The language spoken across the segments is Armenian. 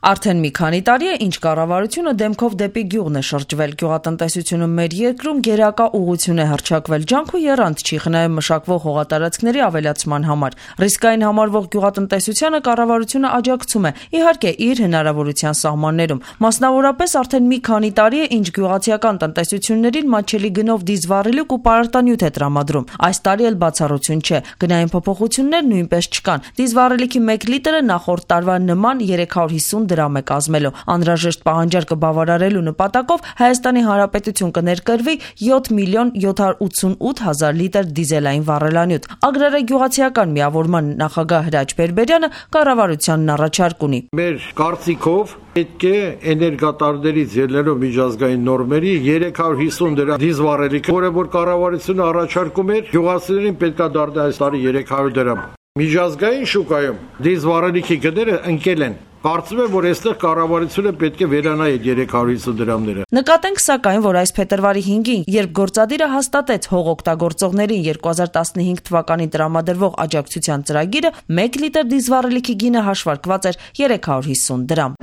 Արդեն մի քանի տարի է, ինչ կառավարությունը դեմքով դեպի գյուղն է շրջվել։ Գյուղատնտեսությունը մեր երկրում գերակա ուղղություն է հռչակվել, ջանք ու եռանդ չի խնայում մշակվող հողատարածքների ավելացման համար։ Ռիսկային համարվող գյուղատնտեսությանը կառավարությունը աջակցում է, իհարկե, իր հնարավորության սահմաններում։ Մասնավորապես արդեն մի քանի տարի է, ինչ գյուղացիական տնտեսություններին մատչելի գնով դիզվառելիք ու պարարտանյութ է տրամադրում։ Այս տարի էլ բացառություն չէ։ Գնային փոփոխություններ նույնպես չկան։ Դիզվառելիքի 1 լիտրը նախորդ տարվա նման 350 դրամ է կազմելու։ Անհրաժեշտ պահանջարկը բավարարելու նպատակով Հայաստանի Հանրապետություն կներկրվի 7.788.000 լիտր դիզելային վառելանյութ։ Ագրարագյուղացիական միավորման նախագահ Հրաչ Բերբերյանը կառավարությանն առաջարկ ունի։ Մեր կարծիքով պետք է էներգատարներից ելնելով միջազգային նորմերի 350 դրամ դիզվառելիքը, որը որ կառավարությունը առաջարկում էր, գյուղացիներին պետք է դառնա այս տարի 300 դրամ։ Միջազգային շուկայում դիզվառելիքի գները ընկել են։ Կարծում եմ, որ այստեղ կառավարությունը պետք է վերանայի 350 դրամները։ Նկատենք սակայն, որ այս փետրվարի 5-ին, երբ գործադիրը հաստատեց հող օգտագործողներին 2015 թվականին տրամադրվող աջակցության ծրագիրը, 1 լիտր դիզվառելիքի գինը հաշվարկված էր 350 դրամ։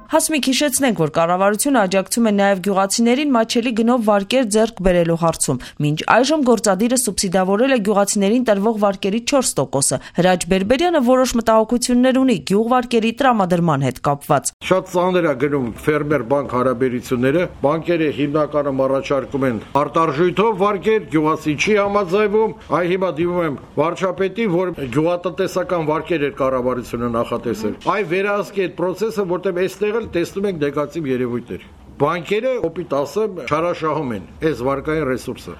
Հասմիկ հիշեցնենք, որ կառավարությունը աջակցում է նաև գյուղացիներին մատչելի գնով վարկեր ձեռք բերելու հարցում։ Մինչ այժմ գործադիրը սուբսիդավորել է գյուղացիներին տրվող վարկերի 4%-ը։ Հրաչ Բերբերյանը որոշ մտահոգություններ ունի գյուղվարկերի տրամադրման հետ կապված։ Շատ ծանր է գնում ֆերմեր-բանկ հարաբերությունները։ Բանկերը հիմնականում առաջարկում են արտարժույթով վարկեր, գյուղացի չի համաձայնվում։ Այ հիմա դիմում եմ վարչապետին, որ գյուղատնտեսական վարկեր էր կառավարությունը նախատեսել։ Այ վերահսկի այդ process-ը, որտեղ այստեղ տեսնում ենք նեգատիվ երևույթներ։ Բանկերը, օպիտ ասեմ, չարաշահում են այս վարկային ռեսուրսը։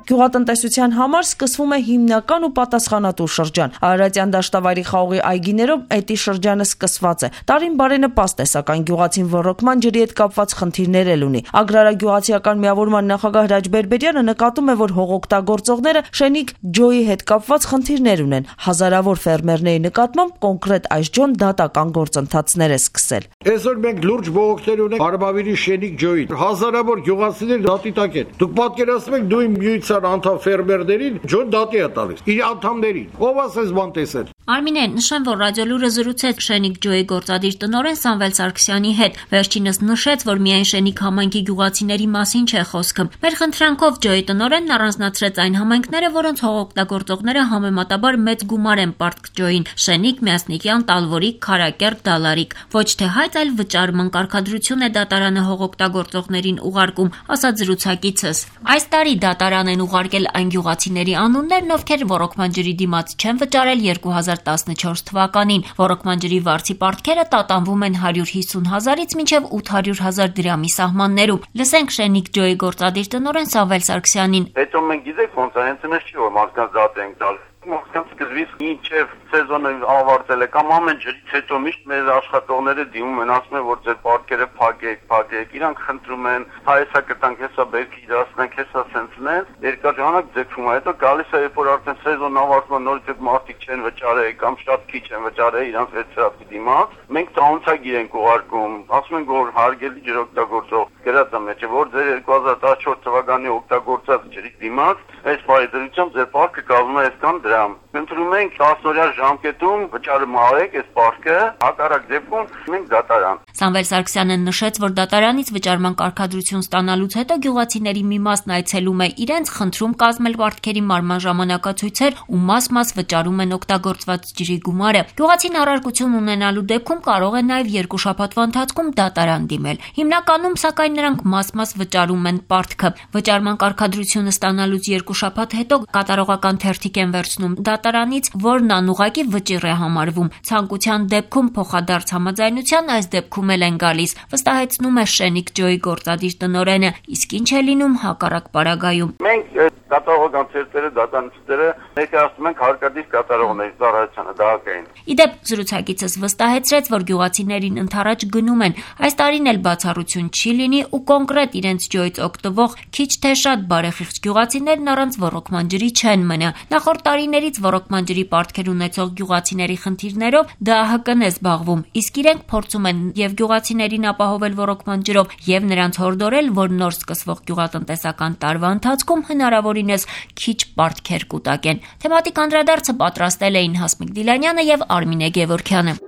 Գյուղատնտեսության համար սկսվում է հիմնական ու պատասխանատու շրջան։ Արարատյան դաշտավայրի խաղողի այգիներով էդի շրջանը սկսված է։ Տարին բարենպաստ է, սակայն գյուղացին ոռոգման ջրի հետ կապված խնդիրներ էլ ունի։ Ագրարագյուղացիական միավորման նախագահ Հրաչ Բերբերյանը նկատում է, որ հողօգտագործողները շենիկ ջոյի հետ կապված խնդիրներ ունեն։ Հազարավոր ֆերմերների նկատմամբ կոնկրետ այս ջոն դատական գործընթացներ է սկսել։ Այսօր մենք լուրջ բողոքներ ունենք Արմավիրի շենիկ ջոյի։ Հազարավոր գյուղացիներ դատի տակ են։ Դուք պատկերացնում եք դու իմ անդամ ֆերմերներին ջոն դատի է տալիս իր անդամներին։ Ով ասես բան տեսել։ Արմինե, նշեմ, որ ռադիոլուրը զրուցեց շենիկ ջոյի գործադիր տնօրեն Սամվել Սարգսյանի հետ։ Վերջինս նշեց, որ միայն շենիկ համայնքի գյուղացիների մասին չէ խոսքը։ Մեր խնդրանքով ջոյի տնօրենն առանձնացրեց այն համայնքները, որոնց հողօգտագործողները համեմատաբար մեծ գումար են պարտք ջոյին՝ Շենիկ, Միասնիկյան, Տալվորիկ, Քարակերտ, Դալարիկ։ Ոչ թե հայտ, այլ վճարման կարգադրություն է դատարանը հողօգտագործողներին ուղարկում, ասաց զրուցակիցս։ Այս տարի դատարան են ուղարկել այն գյուղացիների անուններն, ովքեր ոռոգման ջրի դիմաց չեն վճարել 2014 թվականին։ Ոռոգման ջրի վարձի պարտքերը տատանվում են 150,000-ից մինչև 800,000 դրամի սահմաններում։ Լսենք շենիկ ջոյի գործադիր տնօրեն Սամվել Սարգսյանին։ Հետո մենք գիտենք ոնց է, հենց այնպես չի, որ մարդկանց դատ ենք տալ։ Մարդկանց սկզբից մինչև սեզոնը ավարտել է կամ ամեն ջրից հետո միշտ մեր աշխատողները դիմում են, ասում են, որ ձեր պարկերը փակեք, իրանք խնդրում են, հայեսա կտանք, հեսա բերք իրացնենք, հեսա սենցնեն, երկար ժամանակ ձգվում է, հետո գալիս է, երբ որ արդեն սեզոնն ավարտվում, նորից մարդիկ չեն վճարել կամ շատ քիչ են վճարել իրանք վերցրածի դիմաց, մենք տանցագիր ենք ուղարկում, ասում ենք, որ հարգելի ջրօգտագործող գրած է մեջը, որ ձեր 2014 թվականի օգտագործած ջրի դիմաց այս բարեդրությամբ ձեր պարկը կազմում է այսքան դրամ։ Ընտրում ենք 10-օրյա ժամկետում վճարում արեք այս պարկը, հակառակ դեպքում մենք դատարան։ Սամվել Սարգսյանը նշեց, որ դատարանից վճարման կարգադրություն ստանալուց հետո գյուղացիների մի մասն այցելում է իրենց խնդրում կազմել պարտքերի մարման ժամանակացույցեր ու մաս վճարում են օգտագործված ջրի գումարը։ Գյուղացին առարկություն ունենալու դեպքում կարող է նաև 2 շաբաթվա ընթացքում դատարան դիմել։ Հիմնականում, սակայն, նրանք մաս վճարում են պարտքը։ Վճարման կարգադրությունը ստանալուց 2 շաբաթ հետո կատարողական թերթիկ են վերցնում դատարանից, որն անուղղակի վճիռ է համարվում։ Ցանկության դեպքում փոխադարձ համաձայնության այս դեպքում էլ են գալիս, վստահեցնում է շենիկ ջոյի գործադիր տնօրենը, իսկ ինչ է լինում հակառակ պարագայում։ Մենք կատարողական թերթերը, դատարանները ներկայացնում ենք հարկադիր կատարողների ծառայությանը դահակային։ Իդեպ զրուցակիցս վստահեցրեց, որ գյուղացիներին ընդառաջ գնում են։ Այս տարին էլ բացառություն չի լինի ու կոնկրետ իրենց ջոյից օգտվող քիչ թե շատ բարեխիղճ գյուղացիներն առանց ոռոգման ջրի չեն մնա։ Նախորդ տարիներից ոռոգման ջրի պարտքեր ունեցող գյուղացիների խնդիրներով ԴԱՀԿ-ն է զբաղվում, իսկ իրենք փորձում են եւ գյուղացիներին ապահովել ոռոգման ջրով եւ նրանց հորդորել, որ նոր սկսվող գյուղատնտեսական տարվա ընթացքում հնարավորին տարօրինես քիչ պարտքեր կուտակեն։ Թեմատիկ անդրադարձը պատրաստել էին Հասմիկ Դիլանյանը եւ Արմինե Գևորգյանը։